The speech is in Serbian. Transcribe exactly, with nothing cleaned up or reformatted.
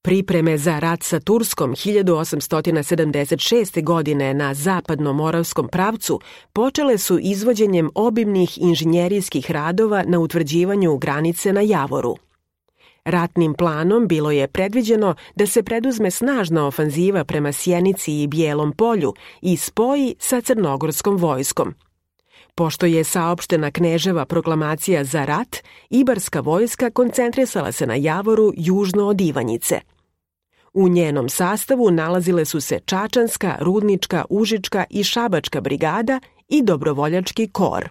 Pripreme za rat sa Turskom hiljadu osamsto sedamdeset šeste. godine na zapadno-moravskom pravcu počele su izvođenjem obimnih inženjerijskih radova na utvrđivanju granice na Javoru. Ratnim planom bilo je predviđeno da se preduzme snažna ofanziva prema Sjenici i Bijelom polju i spoji sa crnogorskom vojskom. Pošto je saopštena Kneževa proklamacija za rat, ibarska vojska koncentrisala se na Javoru južno od Ivanjice. U njenom sastavu nalazile su se Čačanska, Rudnička, Užička i Šabačka brigada i dobrovoljački kor.